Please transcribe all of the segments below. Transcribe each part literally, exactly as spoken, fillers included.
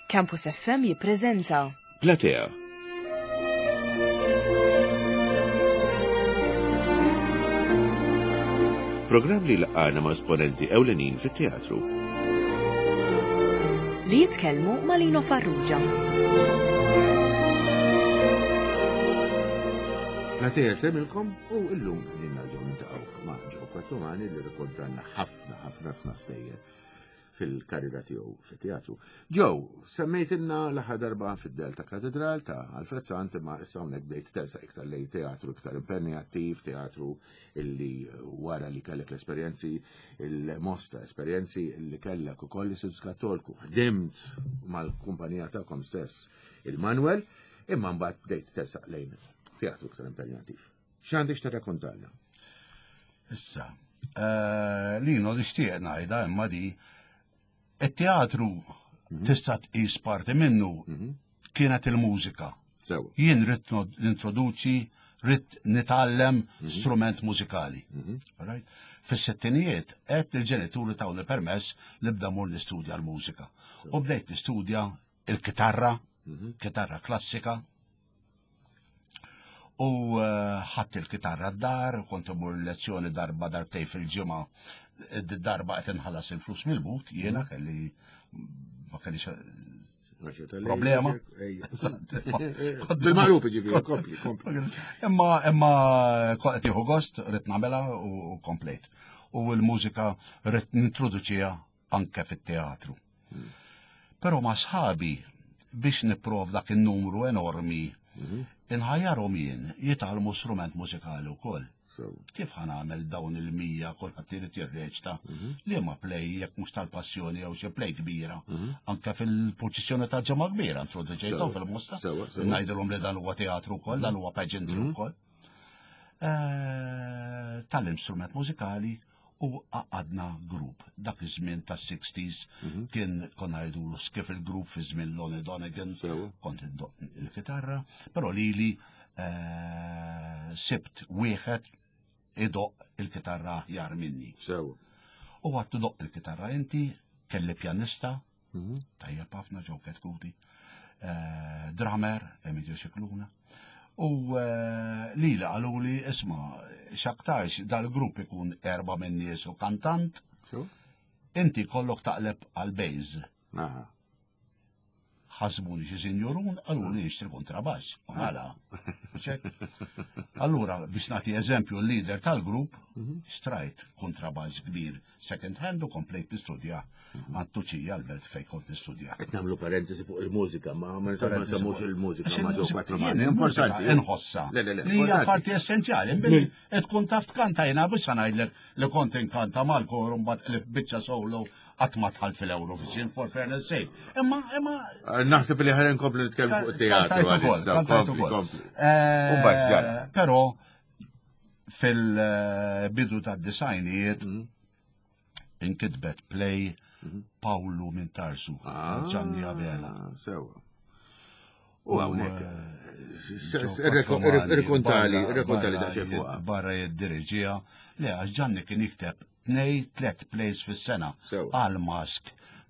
Campus F M jippreżenta Platea. Programm li laqana ma' esponenti ewlenin fit-teatru. Li jitkellmu ma' Lino Farrugia. Platea semilkom u illum qegħdin nerġgħu niltaqgħu ma' Joe Quattromani li rrakkontanna ħafna ħafna ħafna stejjer fil-karriera tiegħu fit-teatru. Joe, semmejtilna l-aħħar darba fid-Delta Katedral ta' Alfred Sant, imma issa hawnhekk bdejt tersa iktar lejn teatru iktar impenjattiv, teatru illi wara li kellek l-esperjenzi, il-mostra esperjenzi illi kellek ukoll l-Istitut Kattoliku. Ħdimt mal-kumpanija tagħkom stess il-Manuel, imma mbagħad bdejt tersaq lejn teatru iktar impenjattiv. X'għandek x'tirrakkontalna? Issa, eh, Lino, nixtieq ngħidha imma di it-teatru tista' tqis parti minnu kienet il-mużika. Sewa. Jien ridt nintroduċi, ridt nitgħallem strument mużikali. Right? Fis-sittinijiet qed il-ġenituri tawni permess li bda mur nistudja l-mużika. U bdejt nistudja il-kitarra, kitarra klassika. U eh, ħadt il-kitarra d-dar, kont imur lezzjoni darba darbtej fil-ġimgħa, darba qed inħallas il-flus mill-but, jiena kelli ma kellix problema. Bil-maqlub ġifieri, kompli, kompli. Imma imma qed tieħu gost, ridt nagħmilha u komplejt. U l-mużika ridt nintroduċiha anke fit-teatru. Però ma' sħabi biex nipprov dak in-numru enormi, inħajjarhom jien jitgħallmu strument mużikali wkoll. Kif ħa nagħmel dawn il-mija kulħadd irid jirreċta li ma play jekk mhux tal-passjoni jew xi play kbira. Anke fil-purċissjoni ta' Ġimgħa Kbira introduċejthom fil-Mosta. Sewa, sewa. Ngħidilhom li dan huwa teatru wkoll, dan huwa pageantry wkoll. Eh, Tal-instrument mużikali u għadna grupp. Dak iż-żmien tas-sixties kien konna jgħidulu skiffle group fi żmien Lonnie Donegan, Sewa. kont indoq il-kitarra, però lili eh, sibt wieħed idoq il-kitarra aħjar minni. Sewa. U għedtlu doq il-kitarra inti, kelli pjanista, tajjeb ħafna Joe Ketkuti, eh, drummer, Emilio Scicluna. U eh, li li qaluli, isma', x'aktarx dal-grupp ikun erba minn nies u kantant, Sewa. inti kollok taqleb għal-bass. Aha. Ħasbuni xi sinjurun, qaluli nixtri kontrabass. U mela. Allura, biex nagħti eżempju l-leader tal-grupp, xtrajt kontrabass kbir second hand u komplejt nistudja għand Tuċija l-Belt fejn kont nistudja. Qed nagħmlu parentesi fuq il-mużika, ma ma nsa- ma nsemmux il-mużika Għax ma ġew il-mużika- Quattro jien Mani. il-mużika Importanti. Inħossa. Le, le, le, Li hija importanti. parti essenzjali. Billi tkun taf tkanta jiena biex ngħidlek li kont inkanta mal-kor u mbagħad qlib biċċa solo qatt ma dħalt fil-Eurovision, for fairness sake. Imma imma Naħseb li ħaren kompli nitkellmu fuq it-teatru. Kantajt ukoll, għalissa. kantajt Kompli, ukoll. kompli. Eh, U mbagħad ġara. Però fil-bidu tad-disgħinijiet inkitbet play Pawlu minn Tarsu, Ah, Gianni Abela. Sewa. U hawnhekk. Joe Quattromani, Irkontali, barra- irkontali barra daqsxejn fuqha. Barra jiddiriġija. Le, għax Gianni kien jikteb tnej tlet plays fis-sena Sewa. għal mask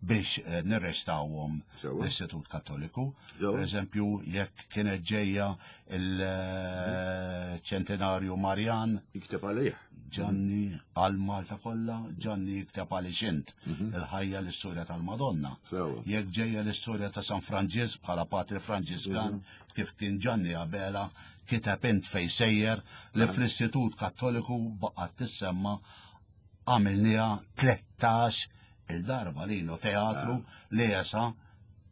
biex eh, nirrestawhom Sewa. l-Istitut Kattoliku. Sewa. Per eżempju, jekk kienet ġejja il-ċentenarju Marjan, Jikteb għalih. Gianni għal Malta kollha, Gianni jikteb għal int il-ħajja l-istorja tal-Madonna. Sewa. Jekk ġejja l-istorja ta' San Franġisk bħala Patri Franġiskan, kif kien Gianni Abela, kiteb int fej sejjer li fl-Istitut Kattoliku baqgħet tissemma għamilniha tlettax il-darba lino teatru li jesa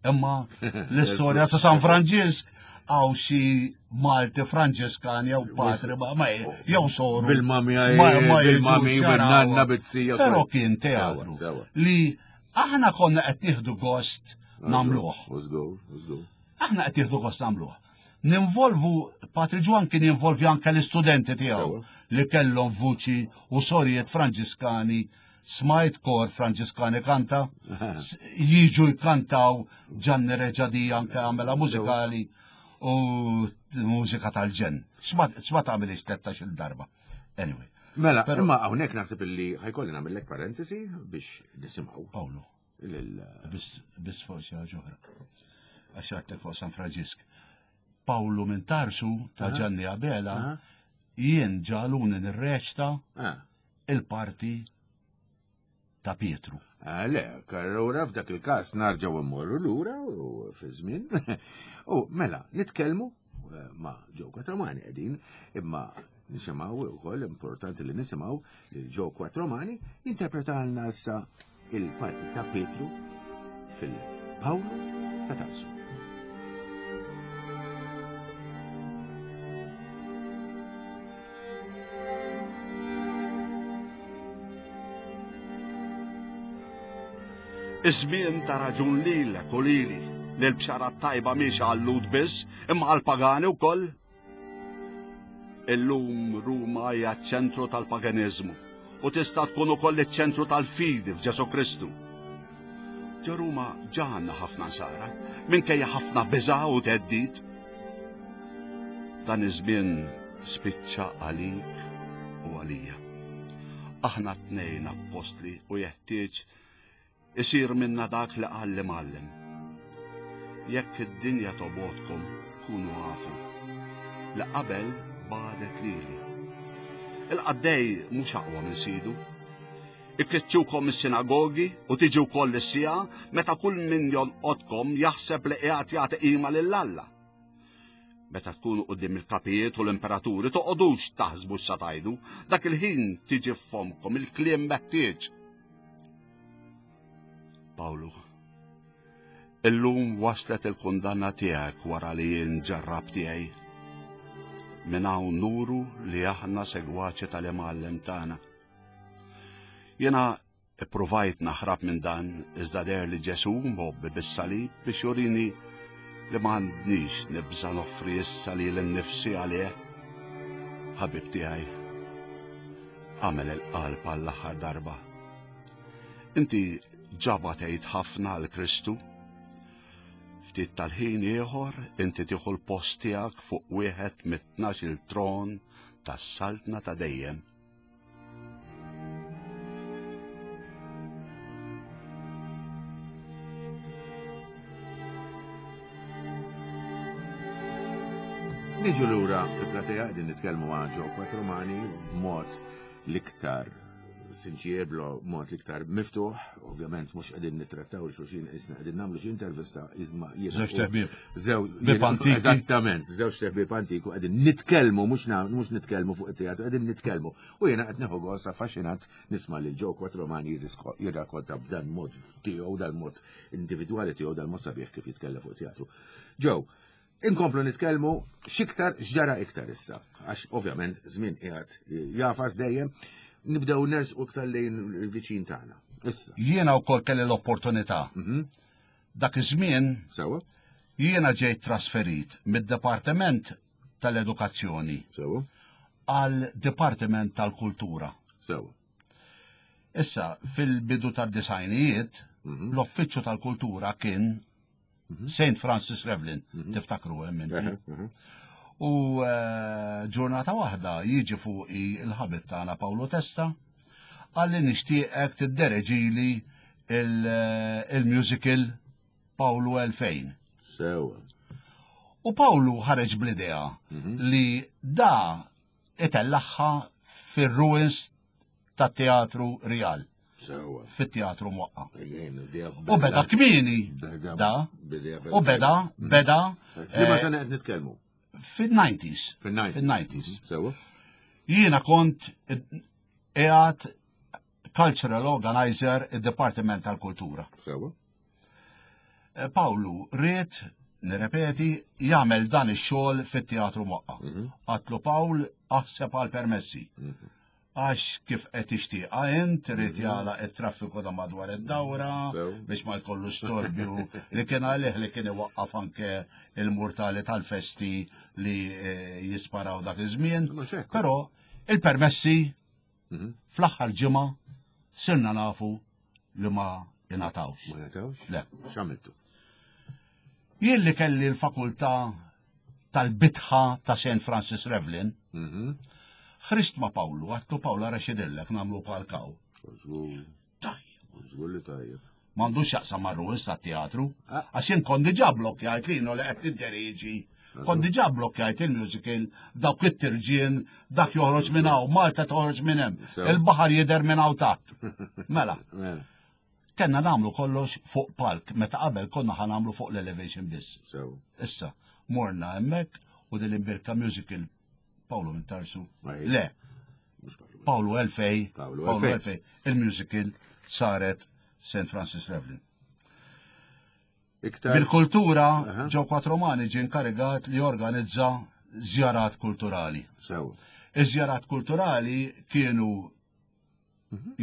imma l-istorja ta' San Franġisk għaw xi Malti Franġiskan jew patri ma ma jew soru Bil-mami, ma- ma bil-mami, jiġux jaraw. bin-nanna, bit-sija, Però kollu. kien teatru Sewa, sewa. li aħna konna qed nieħdu gost nagħmluh. U żgur, u żgur. Aħna qed nieħdu gost nagħmluh. Ninvolvu, Patri Ġwan kien jinvolvi anke l-istudenti tiegħu Sewa. li kellhom vuċi u sorijiet Franġiskani, smajt kor Franġiskani kanta, s- jiġu jkantaw Gianni Reġadi anke għamela mużikali u mużika tal-ġen. Smat għamilix tlettax il darba. Anyway, Mela, Però- imma hawnhekk naħseb illi ħa jkolli nagħmellek parentesi biex nisimgħu Paolo. Lil Biss biss forsi ħaġa oħra. Għax għedtlek fuq San Franġisk. Pawlu minn Tarsu ta' Ġanni Abela Aha. jien ġagħluni nirreċta Ah. il-parti ta' Pietru. Ah, le, allura f'dak il-każ nerġgħu mmorru lura u fi żmien. U mela, nitkellmu eh, ma' Joe Quattromani qegħdin, imma nisimgħu wkoll importanti li nisimgħu li Joe Quattromani jinterpretalna issa il-parti ta' Pietru fil-Pawlu ta' Tarsu. Iż-żmien ta raġun lilek u lili li l-bxara tajba mhix għal-Lhud biss, imma għall-pagani wkoll. Illum Ruma hija ċ-ċentru tal-paganiżmu u tista' tkun ukoll iċ-ċentru tal-fidi f'Ġesu Kristu. Ġo Ruma ġa għandna ħafna nsara, minkejja ħafna biża' u theddid. Dan iż-żmien spiċċa għalik u għalija. Aħna tnejn appostli u jeħtieġ isir minna dak li qal l-Imgħallem. Jekk id-dinja tobgħodkom, kunu afu li qabel bagħdet lili. Il-qaddej mhux aqwa minn sidu. Ikkiċċukom is-sinagogi u tiġi wkoll is-siegħa meta kull min jolqotkom jaħseb li qiegħed jagħti qima lil Alla. Meta tkunu quddiem il-kapijiet u l-imperaturi toqgħodux taħsbu x'sa tgħidu, dak il-ħin tiġi f'fomkom il-kliem meħtieġ. Pawlu, illum waslet il-kundanna tiegħek wara li jien ġarrab tiegħi. Minn hawn nuru li aħna segwaċi tal-imgħallem tagħna. Jiena ippruvajt naħrab minn dan iżda deher li Ġesu mgħobbi bis-salib biex jurini li m'għandniex nibża noffri issa lili nnifsi għalih. Ħabib tiegħi, għamel il-qalb għall-aħħar darba. Inti ġa batejt ħafna għal Kristu. Ftit tal-ħin ieħor inti tieħu l-post tiegħek fuq wieħed mit-tnax-il tron tas-saltna ta' dejjem. Niġu lura fil-platea qegħdin nitkellmu ma' Joe Quattromani b'mod l-iktar sinċier, b'mod l-iktar miftuħ, ovvjament mhux qegħdin nittrattaw lil xulxin, isna qegħdin nagħmlu xi intervista iżma jiena Żewġ teħbieb. Żew Ħbieb antiki. Eżattament, żewġ teħbieb antiku qegħdin nitkellmu mhux mhux nitkellmu fuq it-teatru, qegħdin nitkellmu. U jiena qed nieħu gost affaxxinat nisma' lil Joe Quattromani jirrakkonta b'dan mod tiegħu, dan mod individwali tiegħu, dan mod sabiħ kif jitkellem fuq teatru. Joe, inkomplu nitkellmu x'iktar x'ġara iktar issa, għax ovvjament żmien qiegħed jagħfas dejjem, nibdew nersqu iktar lejn il-viċin tagħna. Issa. Jiena wkoll kelli l-opportunità. Mhm. Dak iż-żmien Sewa? jiena ġejt trasferit mid-Dipartiment tal-Edukazzjoni Sewa? għal Dipartiment tal-Kultura. Sewa. Issa, fil-bidu tad-disgħinijiet, Mhm. l-Uffiċċju tal-Kultura kien Saint Francis Revlin, tiftakru hemm inti. Eħe, eħe. U eh, ġurnata waħda jiġi fuqi il-ħabib tagħna Paolo Testa qalli nixtieqek tiddereġili il- il-musical Pawlu elfejn. Sewa. U Pawlu ħareġ bl-idea li da itellaħħa fir-ruins tat-Teatru Real, Sewa. fit-Teatru Mwaqqa. Again, idea U beda kmieni Beda- da, bidea u beda, beda F'liema eh, sena qed nitkellmu? fil-nineties. Fil-nineties. Fil-nineties. Sewa. Jiena kont qiegħed cultural organizer id-Dipartiment tal-Kultura. Sewa. Eh, Pawlu ried, nirrepeti, jagħmel dan ix-xogħol fit-Teatru Mwaqqa. Għedtlu Pawl aħseb għal permessi. Għax kif qed tixtieqha int irid jagħlaq it-traffiku ta' madwar id-dawra Sew. biex ma jkollu storbju li kien għalih li kien iwaqqaf anke il-murtali tal-festi li eh, jisparaw dak iż-żmien. Mhux hekk. Però il-permessi Mhm. fl-aħħar ġimgħa sirna nafu li ma ingħatawx. Ma ngħatawx? Le. X'għamiltu? Jien li kelli l-fakultà tal-bitħa ta' Saint Francis Revlin, Mhm. ħriġt ma' Pawlu, għedtlu Pawlu ara x'jidhirlek nagħmlu palk hawn. Żgur, Tajjeb. żgur li tajjeb. M'għandux x'jaqsam mar-rules tat-teatru. Ah. Għax jien kont diġà blokkjajt lino li qed nidderieġi. Kont diġà blokkjajt il-musical, dawk it-tirġien, dak joħroġ minn hawn, Malta toħroġ minn hemm, Sew. il-baħar jidher minn hawn taħt. Mela, Mela, kellna nagħmlu kollox fuq palk, meta qabel konna ħa nagħmlu fuq l-elevation biss. Sew. Issa, morna hemmhekk u din l-imbirka musical Paolo Mintarsu. Ej. Le, Mhux Paolo. Paolo Elfej, Paolo Paolo Elfej. Elfej, il-musical saret Saint Francis Revlin. Iktar. Bil-kultura, Aha. Joe Quattromani ġie inkarigat li jorganizza żjarat kulturali. Sew. Iż-żjarat kulturali kienu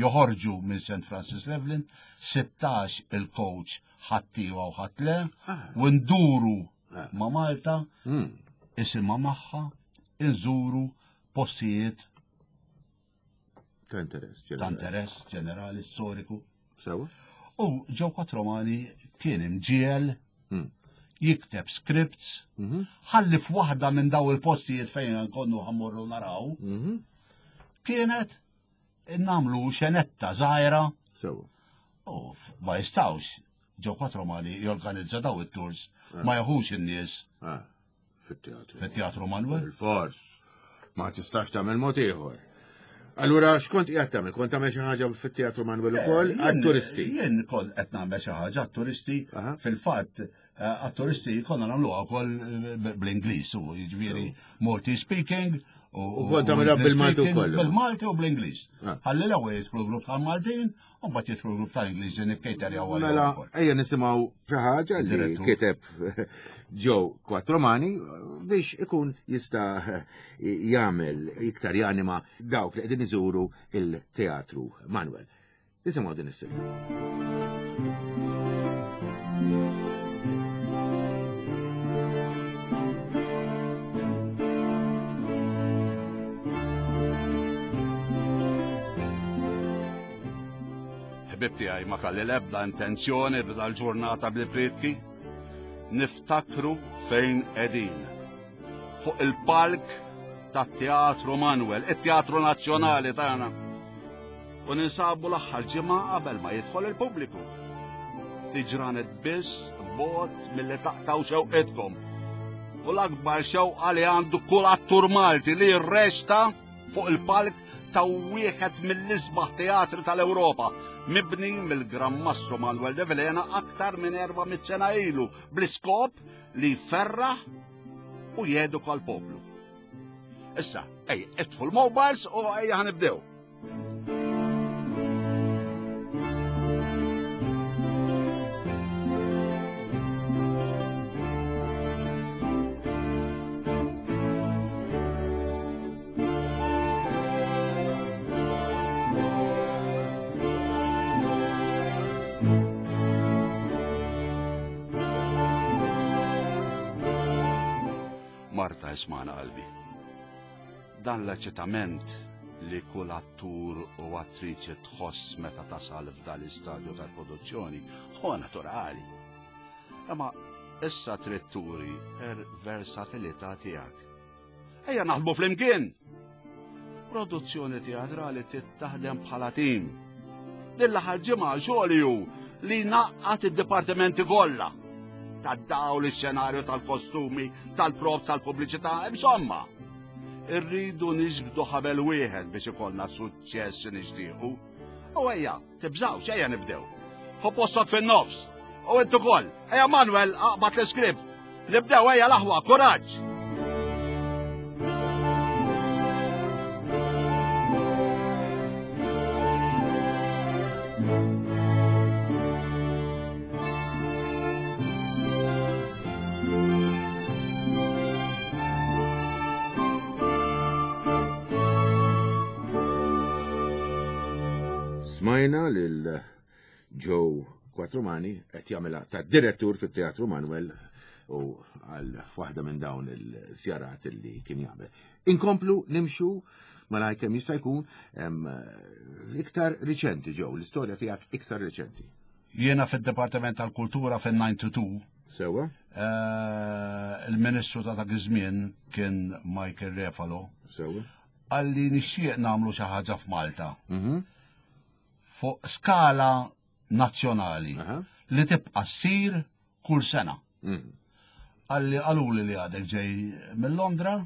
joħorġu minn Saint Francis Revlin, sittax il-coach ħadd iva u ħadd le, Ah. u nduru Ah. ma' Malta, Mm. isimha magħha, inżuru postijiet Ta' interess. ta' ġenerali. interess ġenerali storiku. Sew. U Joe Quattromani kien imġiel Mm. jikteb scripts, Mhm. ħalli f'waħda minn daw il-postijiet fejn konnu ħa mmorru naraw, Mhm. kienet namlu xenetta żgħira Sew. u f- ma jistawx Joe Quattromani jorganizza daw it-tours, ma jaħux in-nies Ah. Fit-teatru. fit-Teatru Manuel. Il-fors. Ma tistax tagħmel mod ieħor. Allura x'kont qiegħed tagħmel? Kont tagħmel xi ħaġa fit-Teatru Manuel ukoll Jien- għat-turisti. Jien kont qed nagħmel xi ħaġa għat-turisti, Aha. fil-fatt eh, għat-turisti konna nagħmluha wkoll eh, bl-Ingliż, u jiġifieri Maltese speaking U kont tagħmilha English bil-Malti speaking, ukoll. Bil-Malti u bl-Ingliż. Ah. Ħalli l-ewwel jidħlu grupp tal-Maltin, u mbagħad jidħlu grupp tal-Ingliżi nikkejterjaw għalihom Mela, ukoll. ejja nisimgħu xi ħaġa li Direttur. kiteb Joe Quattromani biex ikun jista' jagħmel iktar janima dawk li qegħdin iżuru il-Teatru Manuel. Nisimgħu din is-silta. Ħbib tiegħi ma kalli l-ebda intenzjoni b'da l-ġurnata bil-prietki. Niftakru fejn qegħdin. Fuq il-palk tat-Teatru Manuel, it-Teatru Nazzjonali tagħna. U ninsabu l-aħħar ġimgħa qabel ma jidħol il-pubbliku. Tiġranet biss bot milli taqtaw xewqitkom. U l-akbar xewqa li għandu kull attur Malti li jirresta fuq il-palk ta' wieħed mill-isbaħ teatri tal-Ewropa, mibni mill-Gran Mastru Manuel de Vilhena aktar minn erba' mitt sena ilu, bl-iskop li jferraħ u jeduka l-poplu. Issa, ej, itfu l-mobiles u ejja ħa nibdew. Marta ismana qalbi. Dan l-eċitament li kull attur u attriċi tħoss meta tasal f'dan l-istadju tal-produzzjoni huwa naturali. Imma issa trid turi r-versatilità tiegħek. Ejja naħdmu flimkien! Produzzjoni teatrali trid taħdem bħala tim. Din l-aħħar ġimgħa xogħli hu li naqqat id-dipartimenti kollha tad-dawl, ix-xenarju tal-kostumi, tal-props, tal-pubbliċità, insomma. Irridu niġbdu ħabel wieħed biex ikollna suċċess nixtiequ. U ejja, tibżawx, ejja nibdew. Ħu postok fin-nofs. U intu ukoll, ejja Manuel, aqbad l-iskript. Nibdew ejja l-aħwa, kuraġġ! Smajna lil Joe Quattromani qed jagħmilha ta' direttur fit-Teatru Manuel u għal waħda minn dawn il-żjarat li kien jagħmel. Inkomplu nimxu malaj kemm jista' jkun em, iktar riċenti Joe, l-istorja tiegħek iktar riċenti. Jiena fid-Dipartiment tal-Kultura fin-ninety-two, Sewa? eh, il-Ministru ta' dak iż-żmien kien Michael Refalo, Sewa? għalli nixtieq nagħmlu xi ħaġa f'Malta. Mhm. Fuq skala nazzjonali li tibqa' ssir kull sena. Qalli qaluli li għadek ġej minn Londra,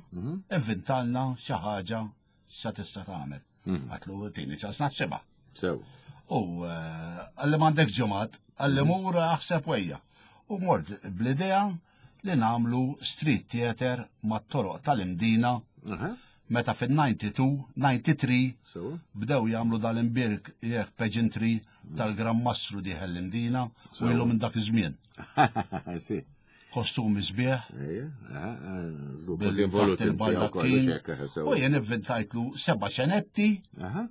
ivvintalna xi ħaġa sa tista' tagħmel. Għedtlu tini ċans naħsibha. Sew. U qalli m'għandek ġimgħat, qalli mur aħseb wejja. U mort bl-idea li nagħmlu street theater mat-toroq tal-Imdina meta fin-ninety-two, ninety-three bdew jagħmlu dal-imbirk jekk pageantry tal-Gran Mastru dieħel l-Imdina u ilu minn dak iż-żmien. Si. Kostumi sbieħ. Ejja, aha, żgur kont involut inti Bil-baldakkin. wkoll, hekk, eħe, sewa. U jien ivvintajtlu seba' xenetti, Aha.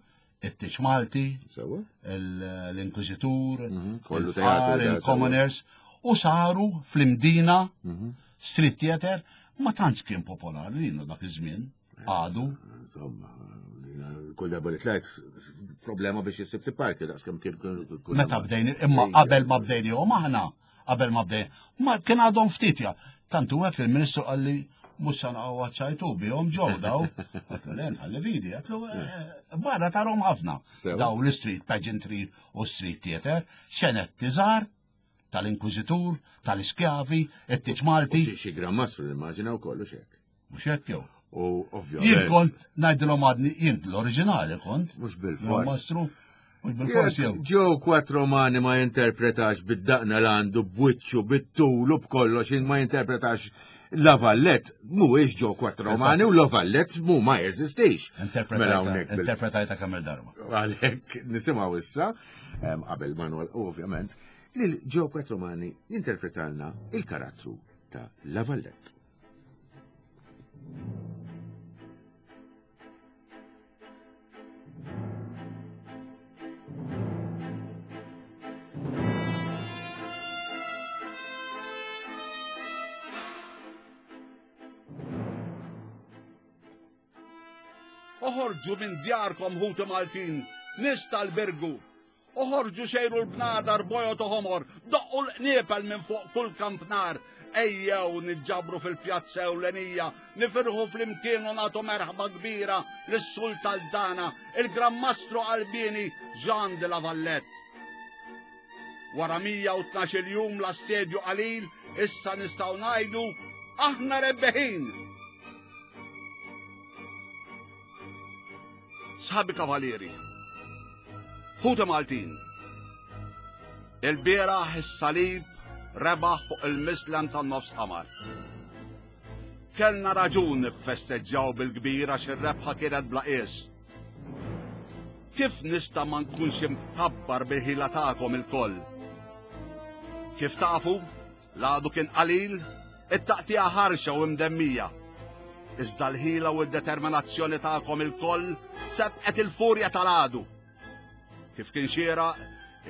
it-Tiċ Malti, Sewa. il-, l-Inkwiżitur, Mhm, kollu il-Fqar, teatru, da, sewa. il-Commoners, u saru fl-Imdina Mhm. street theater, ma tantx kien popolari linu dak iż-żmien. Għadu. Insomma, kull darba li tlajt problema biex jisib tipparki, daqs kemm kien kull- kull Meta darba. bdejni, imma Ejja. qabel ma bdejnihom aħna, qabel ma bdejn, ma kien għadhom ftit ja. Tantu hekk il-Ministru qalli mhux se naqgħu ċajtu bihom ġew daw. Għedtlu le nħalli vidi, għedtlu, eh, barra tarhom ħafna. Sewa. Daw l-street pageantry u street theater, xenetti żgħar tal-Inkwiżitur, tal-iskjavi, it-Tiċ Malti. U xi-, xi Gran Mastru nimmaġina wkoll u xek. Mhux hekk jew. U ovvjament. Jien kont ngħidilhom għadni, jien l-oriġinali kont. Mhux bil-fors. Gran Mastru, mhux bil-fors jew. Joe Quattromani ma jinterpretax bid-daqna l għandu, b'wiċċu, bit-tul u b'kollox, ma jinterpretax La Valette, mhuwiex Joe Quattromani u La Valette mu ma jeżistix. Interpretajta Mela hawnhekk bil- interpretajta kemm il-darba. Għalhekk nisimgħu issa, em, qabel Manuel, ovvjament, lil Joe Quattromani jinterpretalna il-karattru ta' La Valette. Oħorġu minn djarkom ħuti Maltin, nies tal-Birgu. Oħorġu xejru l-bnadar bojot u ħomor, doqqu l-qniepel minn fuq kull kampnar. Ejjew niġġabru fil-pjazza ewlenija, nifirħu flimkien u nagħtu merħba kbira lis-Sultan tagħna, il-Gran Mastru Albini Jean de la Valette. Wara mija u tnax-il jum l-assedju qalil, issa nistgħu ngħidu aħna rebbeħin. Sħabi kavalieri, ħuti Maltin, il-bieraħ is-salib rebaħ fuq il-Mislem tan-nofs qamar. Kellna raġun niffesteġġjaw bil-kbir għax ir-rebħa kienet bla qies. Kif nista' ma nkunx imkabbar bil-ħila tagħkom ilkoll? Kif tafu, l-għadu kien qalil, it-taqtija ħarxa u mdemmija. Iżda l-ħila u d-determinazzjoni tagħkom ilkoll sebqet il-furja tal-għadu. Kif kien xieraq,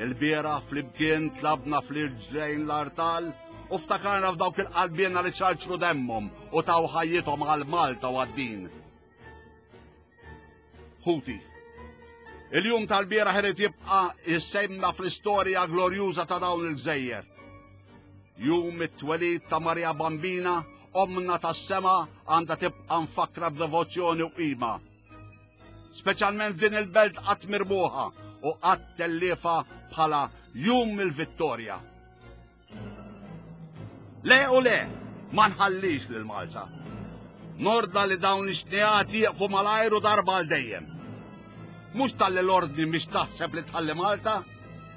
il-bieraħ flimkien tlabna fl-irġlejn l-artal u ftakarna f'dawk il-qalbiena li ċarċru demmhom u taw ħajjithom għal Malta u għad-din. Ħuti, il-jum tal-bieraħ irid jibqa' jissemma fl-istorja glorjuża ta' dawn il-gżejjer. Jum it-twelid ta' Marja Bambina, omna tas-sema, għandha tibqa' mfakra b'devozzjoni u qima. Speċjalment f'din il-belt qatt mirbuħa u qatt telliefa bħala jum il-vittorja. Le u le, ma nħallix lil Malta. Norda li dawn ix-xnijat jieqfu malajru darba għal dejjem. Mhux talli l-ordni mhix taħseb li tħalli Malta,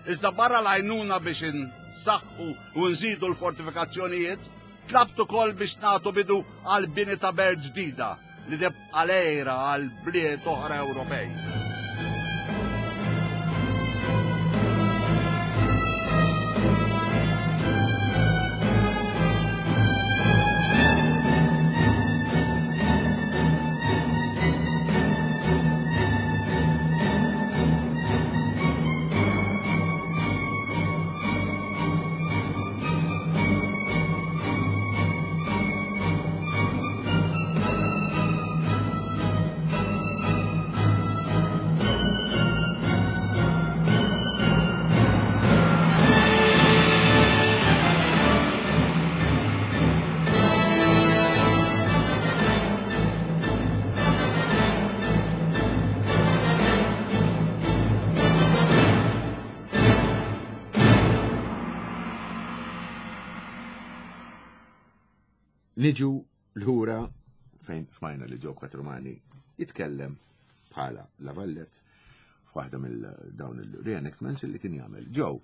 iżda barra l-għajnuna biex insaħħu u nżidu l-fortifikazzjonijiet, tlabt ukoll biex nagħtu bidu għal bini ta' belt ġdida li tibqa' lejra għal bliet oħra Ewropej. Niġu lura fejn smajna li Joe Quattromani jitkellem bħala La Valette f'waħda mill dawn il-reenactments li kien jagħmel. Joe,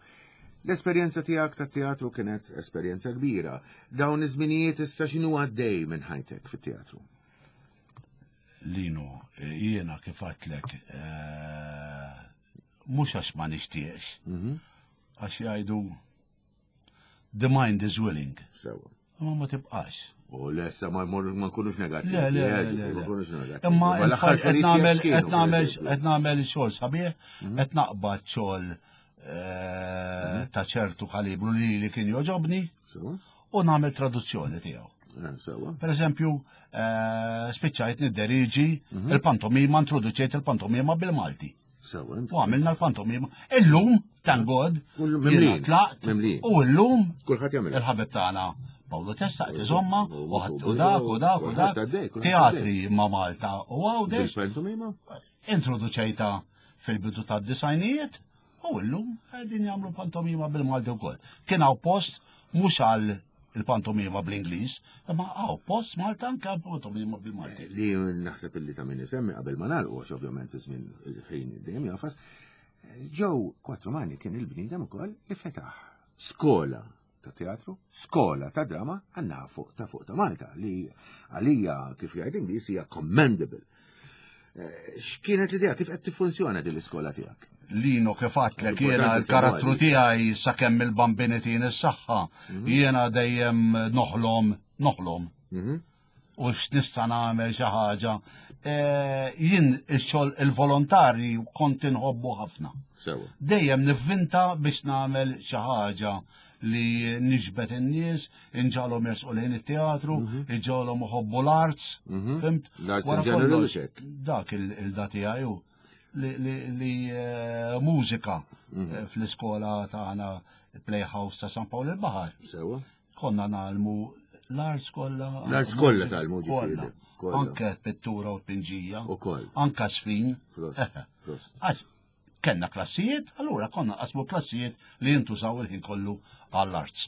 l-esperjenza tiegħek tat-teatru kienet esperjenza kbira. Dawn iż-żminijiet issa x'inhu għaddej minn ħajtek fit-teatru? Lino, jiena kif għedtlek, eh, mhux għax ma nixtieqx, għax jgħidu the mind is willing, Sewa. imma ma tibqax. U lessa ma ma nkunux negattivi. Le, le, eh, le, le, ma le. nkunux negattivi. Imma Ma l-aħħar qed xogħlijiet nagħmel tiegħek x'kienu, qed nagħmel pereżempju? qed nagħmel xogħol sabiħ, qed naqbad xogħol eh, ta' ċertu kalibru li li kien joġobni Sewa. u nagħmel traduzzjoni tiegħu. Eh, Sewa. Per eżempju, eh, spiċċajt nidderiġi il-pantomima, introduċejt il-pantomima bil-Malti. Sewa. U għamilna l-pantomima. Illum, thank God, Kull- jiena mimlin, tlaqt, mimlin. u illum Kulħadd jagħmel. il-ħabib tagħna Paolo Testa qed iżomma, U- u ħadd u dak u dak u dak. Kulħadd għaddej, kulħadd Teatri ma' Malta u Għawdex, Bil-pantomima? introduċejta fil-bidu tad-disajnijiet u illum qegħdin jagħmlu pantomima bil-Malti wkoll. Kien hawn post mhux għal il-pantomima bl-Ingliż, imma hawn post Malta anke pantomima bil-Malti. Li naħseb illi ta' min isemmi qabel ma nagħlqu għax ovvjament iż-żmien il-ħin dejjem jafas. Joe Quattromani kien il-bniedem ukoll li fetaħ skola ta' teatru, skola ta' drama għandna fuq ta' fuq ta' Malta li għalija kif jgħid Ingliż hija commendable. Eh, X'kienet l-idea kif qed tiffunzjona din l-iskola tiegħek? Lino kif għedtlek jiena Importanti l-karattru semmu tiegħi sakemm il-bambini tin is-saħħa, jiena dejjem noħlom, noħlom. Mhm. U x'nista' nagħmel xi ħaġa. Eh, Jien ix-xogħol il-volontari kont inħobbu ħafna. Sewa. Dejjem nivvinta biex nagħmel xi ħaġa li niġbed in-nies, inġagħalhom jersqu lejn it-teatru, inġagħalhom iħobbu l-arts, fhimt? L-arts in Wara general kollox, u xek. Dak il-da tiegħi hu li, li, li eh, mużika eh, fl-iskola tagħna Playhouse ta' San Pawl il-Baħar. Sewa. Konna nagħmlu l-arts kollha. L-arts kollha tgħallmu, ġifieri, Kollha. kollha. Anke pittura u tpinġija. Ukoll. Anke sfin. Prost, Eħe. prost. Għax kellna klassijiet, allura konna qasmu klassijiet li jintużaw il-ħin kollu għall-arts.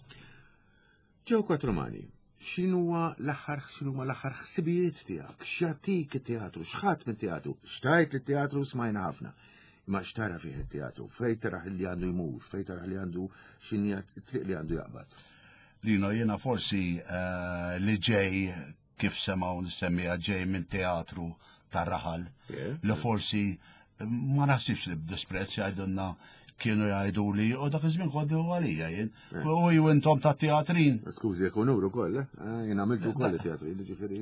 Joe Quattromani, x'inhuwa l-aħħar x'inhuma l-aħħar ħsibijiet tiegħek? X'jagħtik it-teatru? X'ħadd mit-teatru? Xtajt li teatru smajna ħafna. Imma x'tara fih it-teatru? Fejn taraħ li għandu jmur, fejn taraħ li għandu x'inhi t-triq li għandu jaqbad. Lino, jiena forsi eh, li ġej kif semaw nissemmija ġej minn teatru tar-raħal, Yeah. li forsi ma naħsibx li b'disprezz jgħidulna kienu jgħidu li u dak iż-żmien kont għalija jien. U ju intom ta' teatrin. Skużi, jekk unur ukoll, eh? Ah, Jien għamiltu wkoll it-teatru, jiġifieri.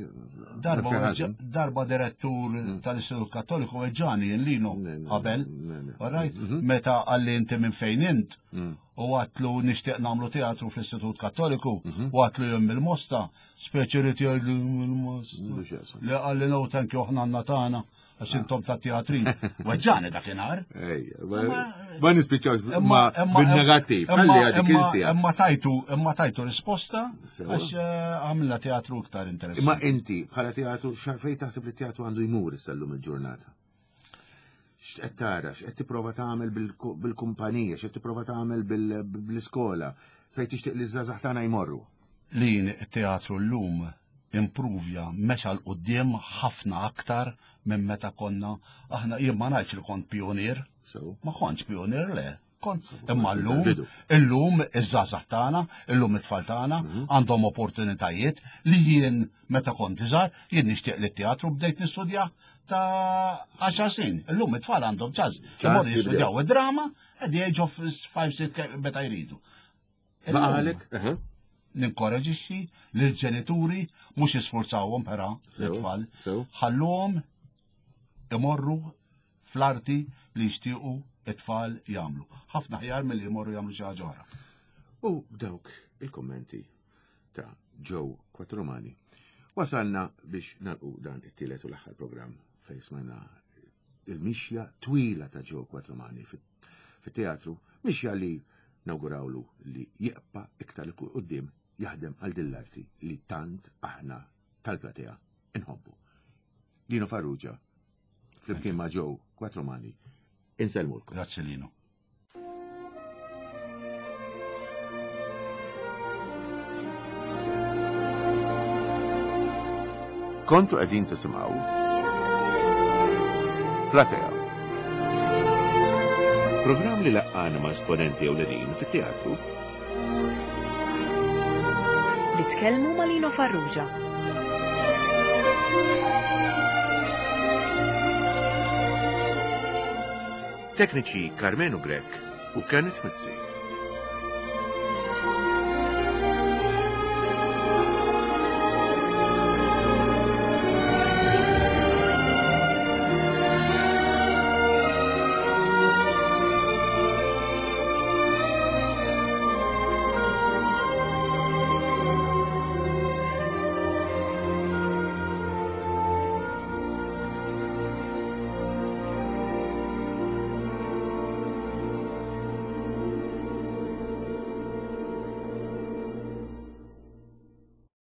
Darba, ma weġġa- darba direttur tal-Istitut Kattoliku weġġani jien Lino Ne, ne, qabel. ne, ne. All right? Meta għalli inti minn fejn int u għedtlu nixtieq nagħmlu teatru fl-Istitut Kattoliku u għedtlu jien mill-Mosta, speċi li jgħidlu mill-Mosta. Mhux jasal. Li għalli no thank you aħna għandna tagħna għax intom ta' teatrin. Weġġani dakinhar. Ejja, ma- ma nispiċċawx ma bil-negattiv, imma- ħalli għadik imma- insija. Imma tajtu, imma tajtu risposta Sewa. għax eh, għamilna teatru iktar interessanti. Imma inti bħala teatru fejn taħseb li teatru għandu jmur issa llum il-ġurnata? X'qed tara, x'qed tipprova tagħmel bil- bil-kumpanija, x'qed tipprova tagħmel bil- bl-iskola, fejn tixtieq li ż-żgħażagħ tagħna jmorru. Lin it-teatru l-lum impruvja mexa 'l quddiem ħafna aktar minn meta konna aħna jien ma ngħidx li kont pionier, So, ma kontx pionier le. Kont imma llum Bidu. illum iż-żgħażagħ tagħna, illum it-tfal tagħna għandhom opportunitajiet li jien meta kont iżgħar jien nixtieq li t-teatru bdejt nistudja ta' għaxar snin. Illum it-tfal għandhom ċans imorru jibdew. jistudjaw id-drama at the age of five six meta jridu. Illum- Baqalek? Aha. ninkoraġixxi lill-ġenituri mhux jisforzawhom però Sew, l-tfal, sew. ħalluhom imorru fl-arti li jixtiequ it-tfal jagħmlu. Ħafna ħjar milli jmorru jagħmlu xi ħaġa oħra. U dawk il-kommenti ta' Joe Quattromani. Wasalna biex nalqu dan it-tielet u l-aħħar programm fejn smajna il-mixja twila ta' Joe Quattromani fit- fit-teatru, mixja li nawgurawlu li jibqa' iktar 'il quddiem jaħdem għal din l-arti li tant aħna tal-platea inħobbu. Lino Farrugia, flimkien ma' Joe Quattromani, insellmulkom. Grazzi Lino. Kontu qegħdin tisimgħu Platea. Programm li laqqana ma' esponenti ewlenin fit-teatru. Li tkellmu ma' Lino Farrugia. Tekniċi Karmenu Grech u Kenneth Mizzi.